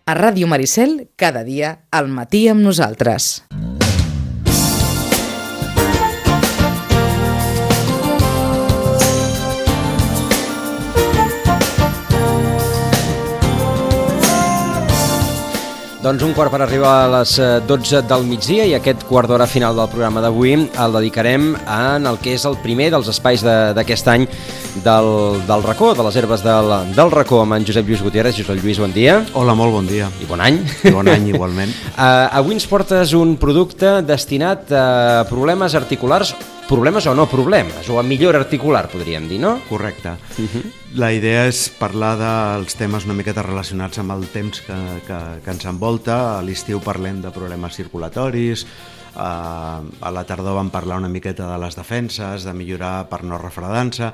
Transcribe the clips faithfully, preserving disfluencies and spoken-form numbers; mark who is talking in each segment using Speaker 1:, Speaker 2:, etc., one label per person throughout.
Speaker 1: A Ràdio Maricel, cada dia, al matí amb nosaltres.
Speaker 2: Doncs un quart per arribar a les dotze del migdia i aquest quart d'hora final del programa d'avui el dedicarem en el que és el primer dels espais d'aquest any del, del racó, de les herbes del, del racó, amb en Josep Lluís Gutiérrez. Josep Lluís, bon dia.
Speaker 3: Hola, molt bon dia.
Speaker 2: I bon any.
Speaker 3: I bon any, igualment.
Speaker 2: uh, avui ens portes un producte destinat a problemes articulars, problemes o no problemes, o a millora articular, podríem dir, no?
Speaker 3: Correcte. Uh-huh. La idea és parlar dels temes una miqueta relacionats amb el temps que, que, que ens envolta. A l'estiu parlem de problemes circulatoris, a la tardor vam parlar una miqueta de les defenses, de millorar per no refredar-se,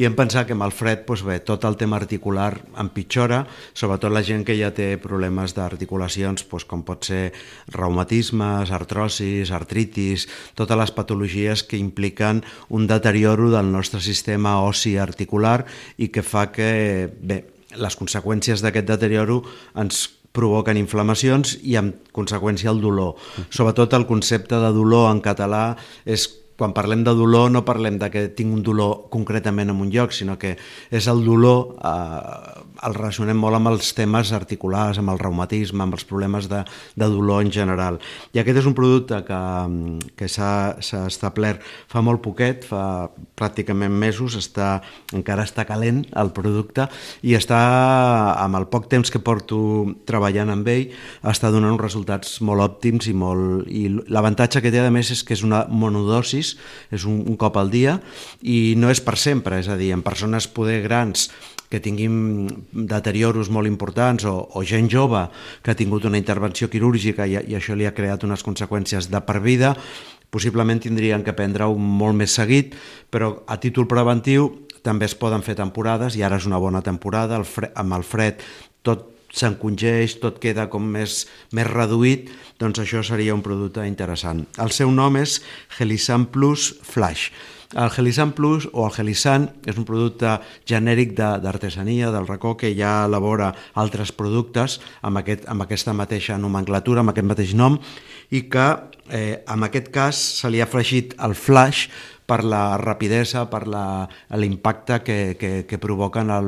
Speaker 3: i hem pensat que amb el fred, doncs bé, tot el tema articular empitjora, sobretot la gent que ja té problemes d'articulacions, doncs com pot ser reumatismes, artrosis, artritis, totes les patologies que impliquen un deterioro del nostre sistema ossi articular i que fa que, bé, les conseqüències d'aquest deterioro ens provoquen inflamacions i en conseqüència el dolor. Sobretot el concepte de dolor en català és, quan parlem de dolor no parlem de que tinc un dolor concretament en un lloc, sinó que és el dolor, eh, el relacionem molt amb els temes articulars, amb el reumatisme, amb els problemes de, de dolor en general. I aquest és un producte que, que s'ha establert fa molt poquet, fa pràcticament mesos, està, encara està calent el producte i està, amb el poc temps que porto treballant amb ell, està donant uns resultats molt òptims i molt... I l'avantatge que té a més és que és una monodosis, és un, un cop al dia i no és per sempre, és a dir, en persones poder grans que tinguin deterioros molt importants o, o gent jove que ha tingut una intervenció quirúrgica i, i això li ha creat unes conseqüències de per vida, possiblement tindrien que prendre-ho molt més seguit, però a títol preventiu també es poden fer temporades i ara és una bona temporada, el fred, amb el fred tot s'encongeix, tot queda com més, més reduït, doncs això seria un producte interessant. El seu nom és Gelisan Plus Flash. El Gelisan Plus o el Gelisan és un producte genèric d'artesania, del racó, que ja elabora altres productes amb, aquest, amb aquesta mateixa nomenclatura, amb aquest mateix nom, i que eh, en aquest cas se li ha afegit el flash per la rapidesa, per l'impacte que, que, que provoca en el,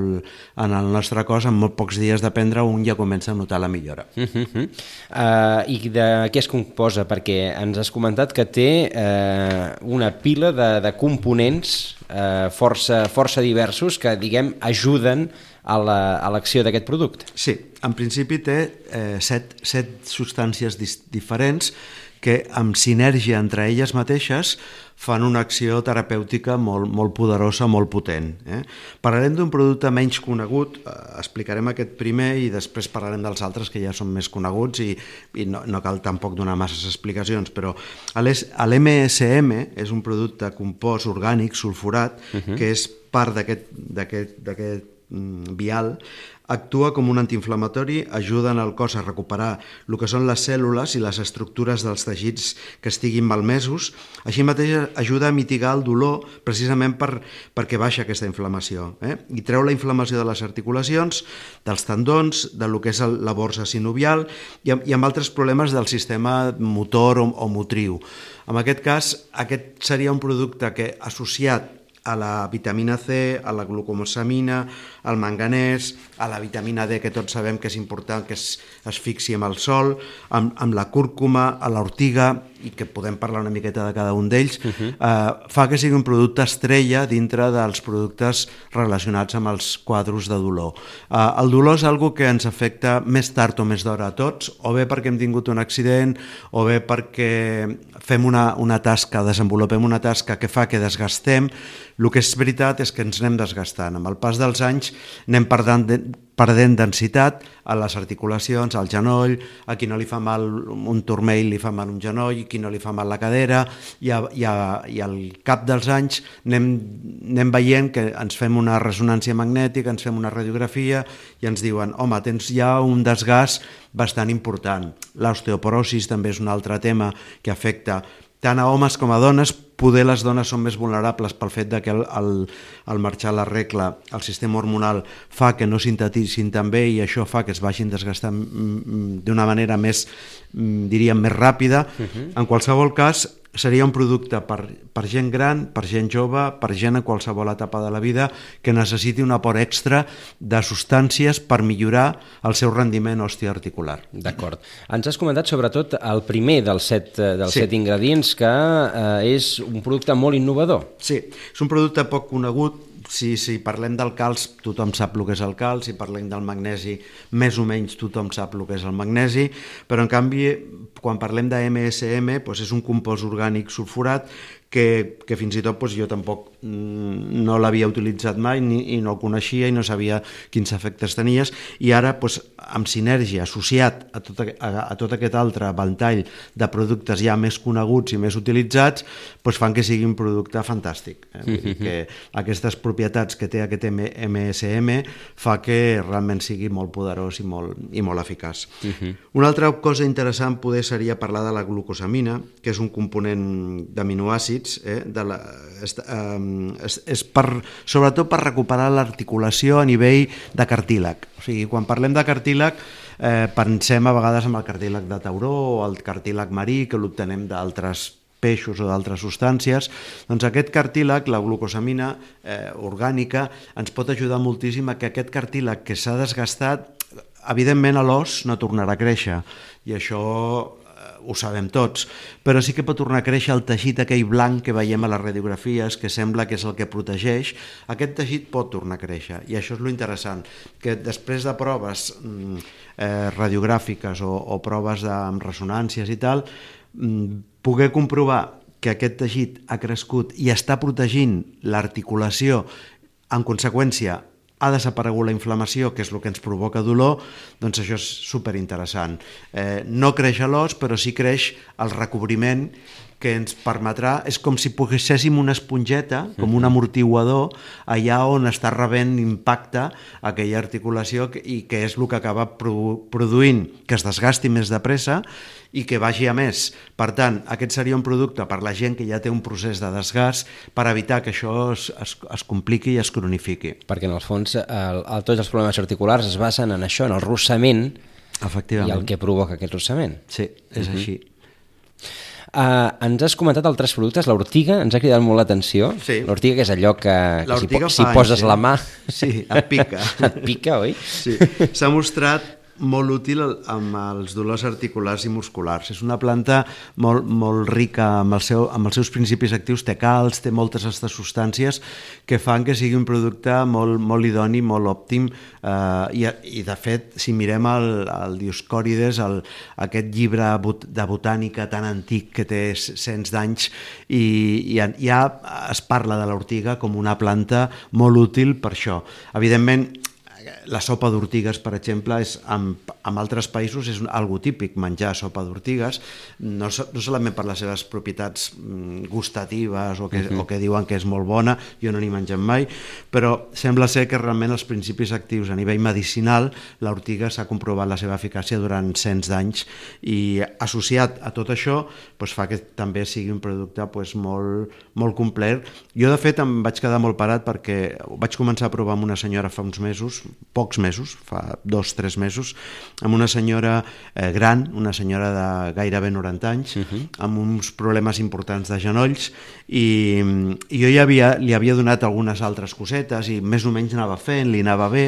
Speaker 3: en el nostre cos. En molt pocs dies de prendre un ja comença a notar la millora.
Speaker 2: Uh -huh. uh, I de què es composa? Perquè ens has comentat que té uh, una pila de, de components uh, força, força diversos que, diguem, ajuden a l'acció d'aquest producte.
Speaker 3: Sí, en principi té eh, set, set substàncies diferents que amb sinergia entre elles mateixes fan una acció terapèutica molt, molt poderosa, molt potent. Eh? Parlarem d'un producte menys conegut, eh, explicarem aquest primer i després parlarem dels altres que ja són més coneguts i, i no, no cal tampoc donar masses explicacions, però l'M S M és un producte compost orgànic sulfurat, uh-huh. que és part d'aquest vial, actua com un antiinflamatori, ajuda en el cos a recuperar el que són les cèl·lules i les estructures dels teixits que estiguin malmesos. Així mateix ajuda a mitigar el dolor precisament per, perquè baixa aquesta inflamació. Eh? I treu la inflamació de les articulacions, dels tendons, de lo que és el, la borsa sinovial i, i amb altres problemes del sistema motor o, o motriu. En aquest cas, aquest seria un producte que associat a la vitamina C, a la glucosamina, al manganès, a la vitamina D, que tots sabem que és important que es, es fixi amb el sol, amb, amb la cúrcuma, a l'ortiga, i que podem parlar una miqueta de cada un d'ells, uh-huh. eh, fa que sigui un producte estrella dintre dels productes relacionats amb els quadros de dolor. Eh, el dolor és algo que ens afecta més tard o més d'hora a tots, o bé perquè hem tingut un accident, o bé perquè fem una, una tasca, desenvolupem una tasca que fa que desgastem. El que és veritat és que ens anem desgastant. Amb el pas dels anys anem perdent, perdent densitat a les articulacions, al genoll, a qui no li fa mal un turmell li fa mal un genoll, a qui no li fa mal la cadera, i, a, i, a, i al cap dels anys anem, anem veient que ens fem una ressonància magnètica, ens fem una radiografia i ens diuen, home, tens ja un desgast bastant important. L'osteoporosi també és un altre tema que afecta tant a homes com a dones. Poder les dones són més vulnerables pel fet de que el, el, el marxar la regla, el sistema hormonal fa que no sintetitzin tan bé i això fa que es vagin desgastant d'una manera més, diríem, més ràpida. Uh-huh. En qualsevol cas, seria un producte per, per gent gran, per gent jove, per gent en qualsevol etapa de la vida que necessiti un aport extra de substàncies per millorar el seu rendiment osteoarticular.
Speaker 2: D'acord. Ens has comentat sobretot el primer dels set, dels sí. set ingredients, que eh, és un producte molt innovador.
Speaker 3: Sí, és un producte poc conegut. Si, si parlem del calç, tothom sap el que és el calç, si parlem del magnesi, més o menys tothom sap el que és el magnesi, però en canvi, quan parlem de eme esse eme, doncs és un compost orgànic sulfurat que, que fins i tot doncs, jo tampoc no l'havia utilitzat mai ni, i no el coneixia i no sabia quins efectes tenies, i ara doncs, amb sinergia, associat a tot, a, a tot aquest altre ventall de productes ja més coneguts i més utilitzats, doncs fan que sigui un producte fantàstic. Eh? Vull dir que aquestes propietats que té aquest eme esse eme fa que realment sigui molt poderós i molt, i molt eficaç. Uh-huh. Una altra cosa interessant poder seria parlar de la glucosamina, que és un component d'aminoàcids, eh, de la, és, eh, és, és per, sobretot per recuperar l'articulació a nivell de cartílag. O sigui, quan parlem de cartílag, eh, pensem a vegades en el cartílag de tauró o el cartílag marí, que l'obtenem d'altres peixos o d'altres substàncies. Doncs aquest cartílag, la glucosamina eh, orgànica, ens pot ajudar moltíssim a que aquest cartílag que s'ha desgastat, evidentment a l'os no tornarà a créixer, i això ho sabem tots, però sí que pot tornar a créixer el teixit aquell blanc que veiem a les radiografies, que sembla que és el que protegeix. Aquest teixit pot tornar a créixer, i això és lo interessant, que després de proves eh, radiogràfiques o, o proves de, amb ressonàncies i tal, poder comprovar que aquest teixit ha crescut i està protegint l'articulació, en conseqüència ha desaparegut la inflamació, que és el que ens provoca dolor, doncs això és superinteressant. Eh, no creix a l'os, però sí creix el recobriment que ens permetrà, és com si poséssim una esponjeta, com un amortiguador, allà on està rebent impacte aquella articulació i que és el que acaba produint que es desgasti més de pressa i que vagi a més. Per tant, aquest seria un producte per la gent que ja té un procés de desgast per evitar que això es, es, es compliqui i es cronifiqui.
Speaker 2: Perquè en el fons el, el, tots els problemes articulars es basen en això, en el rossament, i el que provoca aquest rossament.
Speaker 3: Sí, és uh-huh. així.
Speaker 2: Uh, ens has comentat altres productes, l'ortiga ens ha cridat molt l'atenció.
Speaker 3: Sí.
Speaker 2: L'ortiga, que és allò que, que si, po si
Speaker 3: anys,
Speaker 2: poses
Speaker 3: eh?
Speaker 2: la mà
Speaker 3: sí, et pica.
Speaker 2: et pica, oi?
Speaker 3: Sí. S'ha mostrat molt útil amb els dolors articulars i musculars. És una planta molt, molt rica amb, el seu, amb els seus principis actius, té calç, té moltes aquestes substàncies que fan que sigui un producte molt, molt idoni, molt òptim, eh, i, i de fet, si mirem el, el Dioscòrides, el, aquest llibre de botànica tan antic que té cents d'anys, i, i ja es parla de l'ortiga com una planta molt útil per això. Evidentment, la sopa d'ortigues, per exemple, és, en, en altres països és algo típic menjar sopa d'ortigues, no, no solament per les seves propietats gustatives o que, uh-huh. o que diuen que és molt bona, jo no n'hi mengem mai, però sembla ser que realment els principis actius a nivell medicinal, l'ortiga s'ha comprovat la seva eficàcia durant cents d'anys, i associat a tot això doncs fa que també sigui un producte doncs, molt, molt complet. Jo, de fet, em vaig quedar molt parat perquè vaig començar a provar amb una senyora fa uns mesos, pocs mesos, fa dos, tres mesos, amb una senyora eh, gran, una senyora de gairebé noranta anys, uh-huh. amb uns problemes importants de genolls, i, i jo ja havia, li havia donat algunes altres cosetes i més o menys anava fent, li anava bé,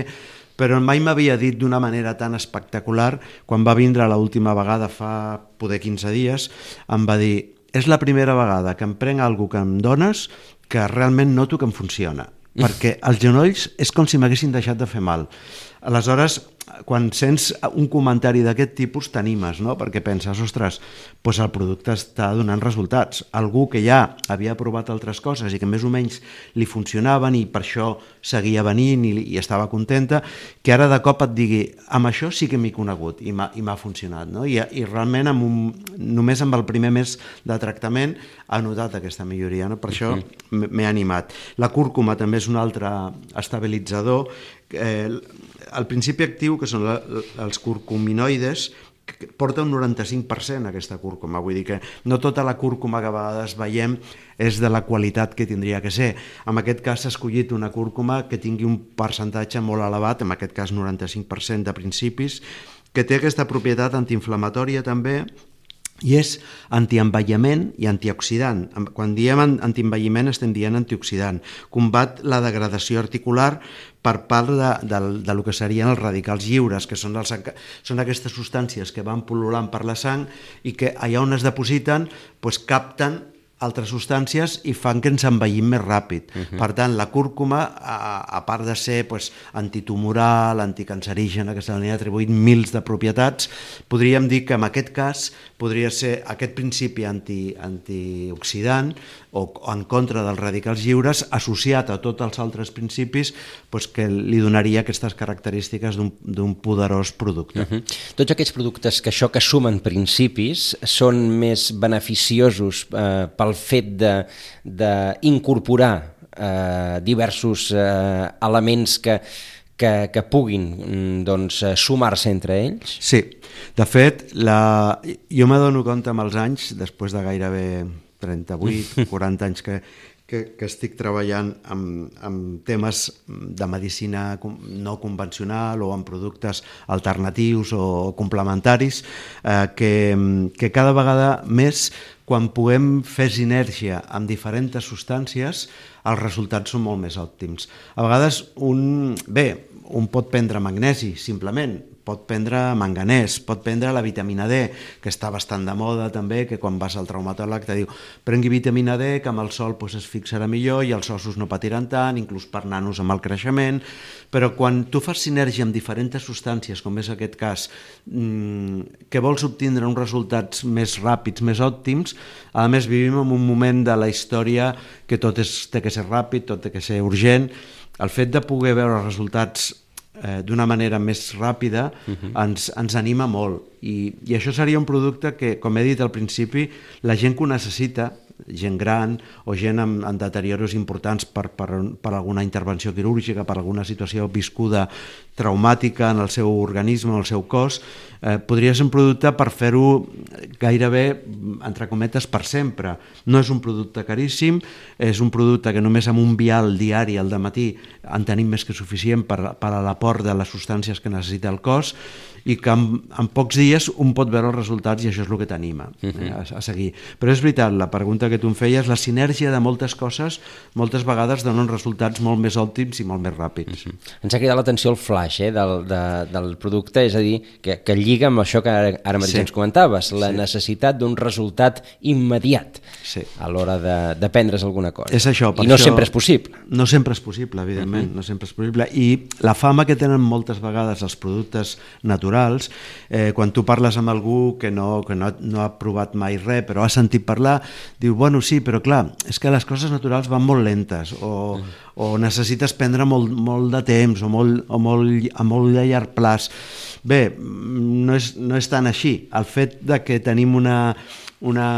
Speaker 3: però mai m'havia dit d'una manera tan espectacular. Quan va vindre l'última vegada, fa poder quinze dies, em va dir: és la primera vegada que em prenc alguna que em dones que realment noto que em funciona, perquè els genolls és com si m'haguessin deixat de fer mal. Aleshores, quan sents un comentari d'aquest tipus t'animes, no? Perquè penses, ostres, doncs el producte està donant resultats. Algú que ja havia provat altres coses i que més o menys li funcionaven i per això seguia venint i, i estava contenta, que ara de cop et digui, amb això sí que m'he conegut i m'ha funcionat, no? I, i realment amb un, només amb el primer mes de tractament ha notat aquesta milloria, no? Per això m'he animat. La cúrcuma també és un altre estabilitzador. Eh, el principi actiu, que són la, els curcuminoides, porta un noranta-cinc per cent aquesta cúrcuma, vull dir que no tota la cúrcuma que a vegades veiem és de la qualitat que tindria que ser. En aquest cas s'ha escollit una cúrcuma que tingui un percentatge molt elevat, en aquest cas noranta-cinc per cent de principis, que té aquesta propietat antiinflamatòria també, i és antienvelliment i antioxidant. Quan diem antienvelliment estem dient antioxidant. Combat la degradació articular per part de, de, de lo que serien els radicals lliures, que són, els, són aquestes substàncies que van pol·lulant per la sang i que allà on es depositen doncs capten altres substàncies i fan que ens envellim més ràpid. Uh-huh. Per tant, la cúrcuma, a, a part de ser pues, antitumoral, anticancerígena, que se li han atribuït mils de propietats, podríem dir que en aquest cas podria ser aquest principi anti, antioxidant o en contra dels radicals lliures associat a tots els altres principis pues, que li donaria aquestes característiques d'un poderós producte.
Speaker 2: Uh-huh. Tots aquests productes que això que sumen principis són més beneficiosos eh, pel fet d'incorporar eh, diversos eh, elements que, que, que puguin doncs, sumar-se entre ells?
Speaker 3: Sí, de fet, la... jo m'adono compte amb els anys, després de gairebé trenta-vuit, quaranta anys que, que, que estic treballant amb, amb temes de medicina no convencional o amb productes alternatius o complementaris, eh, que, que cada vegada més quan puguem fer sinergia amb diferents substàncies, els resultats són molt més òptims. A vegades, un, bé, un pot prendre magnesi, simplement, pot prendre manganès, pot prendre la vitamina D, que està bastant de moda també, que quan vas al traumatòleg te diu prengui vitamina D, que amb el sol pues, es fixarà millor i els ossos no patiran tant, inclús per nanos amb el creixement, però quan tu fas sinergia amb diferents substàncies, com és aquest cas, mmm, que vols obtindre uns resultats més ràpids, més òptims, a més vivim en un moment de la història que tot és, té que ser ràpid, tot té que ser urgent. El fet de poder veure resultats eh, d'una manera més ràpida uh-huh. ens, ens anima molt I, i això seria un producte que, com he dit al principi, la gent que ho necessita, gent gran o gent amb, amb deterioros importants per, per, per alguna intervenció quirúrgica, per alguna situació viscuda traumàtica en el seu organisme, en el seu cos, eh, podria ser un producte per fer-ho gairebé, entre cometes, per sempre. No és un producte caríssim, és un producte que només amb un vial diari al dematí en tenim més que suficient per, per a l'aport de les substàncies que necessita el cos i que en, en pocs dies un pot veure els resultats i això és el que t'anima uh-huh. eh, a, a seguir. Però és veritat, la pregunta que tu em feies, la sinergia de moltes coses moltes vegades donen resultats molt més òptims i molt més ràpids. Uh-huh.
Speaker 2: Ens ha cridat l'atenció el flash eh, del, de, del producte, és a dir, que, que lliga amb això que ara, ara mateix sí. ens comentaves, la sí. necessitat d'un resultat immediat sí. a l'hora de, de prendre's alguna cosa.
Speaker 3: És això, per
Speaker 2: I no
Speaker 3: això,
Speaker 2: sempre és possible.
Speaker 3: No sempre és possible, evidentment, uh-huh. no sempre és possible. I la fama que tenen moltes vegades els productes naturals, eh, quan tu parles amb algú que, no, que no, no ha provat mai res, però ha sentit parlar, diu, bueno, sí, però clar, és que les coses naturals van molt lentes, o, mm. o necessites prendre molt, molt de temps, o, molt, o molt, a molt de llarg plaç. Bé, no és, no és tan així. El fet de que tenim una... una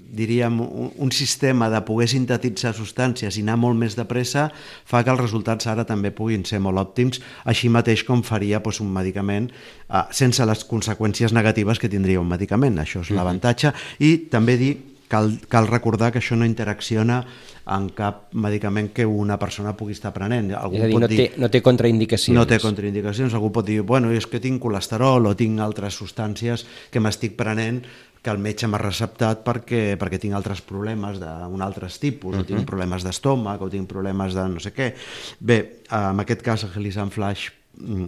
Speaker 3: diríem, un sistema de poder sintetitzar substàncies i anar molt més de pressa fa que els resultats ara també puguin ser molt òptims, així mateix com faria doncs, un medicament eh, sense les conseqüències negatives que tindria un medicament. Això és l'avantatge. I també dir, cal, cal recordar que això no interacciona en cap medicament que una persona pugui estar prenent. Algú
Speaker 2: és a dir,
Speaker 3: pot
Speaker 2: no,
Speaker 3: dir,
Speaker 2: té, no té contraindicacions.
Speaker 3: No té contraindicacions. Algú pot dir, bueno, és que tinc colesterol o tinc altres substàncies que m'estic prenent que el metge m'ha receptat perquè, perquè tinc altres problemes d'un altres tipus, uh-huh. o tinc problemes d'estómac, o tinc problemes de no sé què. Bé, en aquest cas el Gelisant Flash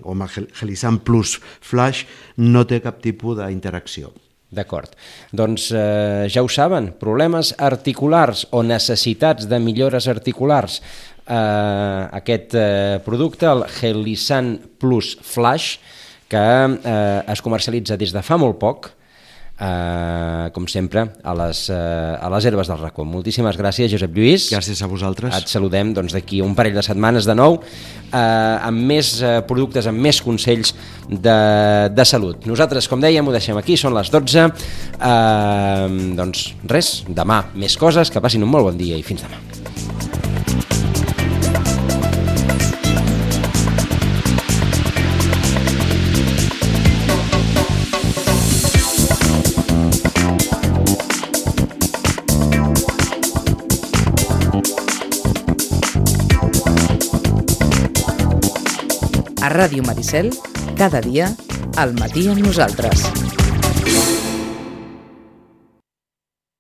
Speaker 3: o el Gelisant Plus Flash no té cap tipus d'interacció.
Speaker 2: D'acord. Doncs eh, ja ho saben, problemes articulars o necessitats de millores articulars, eh, aquest eh, producte, el Gelisant Plus Flash, que eh, es comercialitza des de fa molt poc, Uh, com sempre, a les, uh, a les herbes del racó. Moltíssimes gràcies, Josep Lluís.
Speaker 3: Gràcies a vosaltres.
Speaker 2: Et saludem doncs, d'aquí un parell de setmanes de nou, uh, amb més uh, productes, amb més consells de, de salut. Nosaltres, com dèiem, ho deixem aquí, són les dotze. Uh, doncs res, demà més coses, que passin un molt bon dia i fins demà.
Speaker 1: A Ràdio Maricel, cada dia, al matí amb nosaltres.